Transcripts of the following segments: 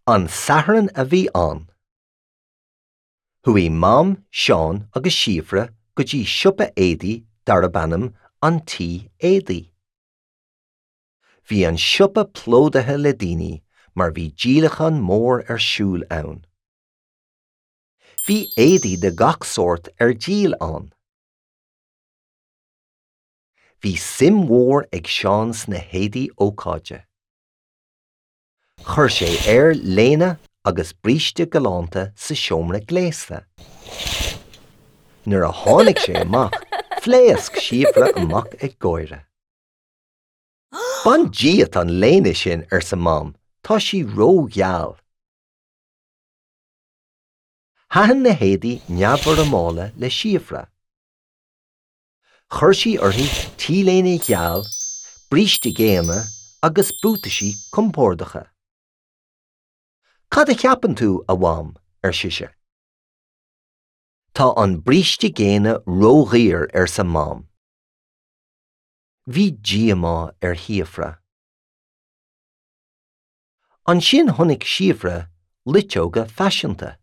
An Satharn a bhí ann. Chuaigh Mam, Seán agus Síofra go dtí siopa éadaí darb ainm An Tí Éadaí. Bhí an siopa plódaithe le daoine mar bhí díolachán mór ar siúl ann. Bhí éadaí de gach sórt ar díol ann. Bhí suim mhór ag Seán sna héadaí ócáide. Chuir sé air léine agus bríste galánta sa seomra gléasta. Nuair a tháinig sé amach, phléasc Síofra amach ag gáire. Bain díot an léine sin, arsa Mam, tá sí rógheal. Thaitin na héadaí neamhfhoirmeálta le Síofra. Chuir sí uirthi t-léine gheal, bríste géana agus buataisí compordacha. Cad a cheapann tú, a Mham? ar sise. Tá an bríste géana ródhaor, arsa Mam. Bhí díomá ar Shíofra. Ansin chonaic Síofra luiteoga faiseanta.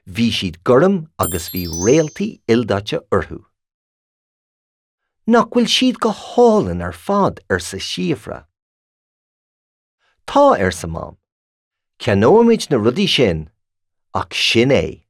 Bhí siad gorm agus bhí réaltaí ildaite orthu. Nach bhfuil siad go hálainn ar fad, arsa Síofra. Tá, arsa Mam. Ceannóimid na rudaí sin, ach sin é.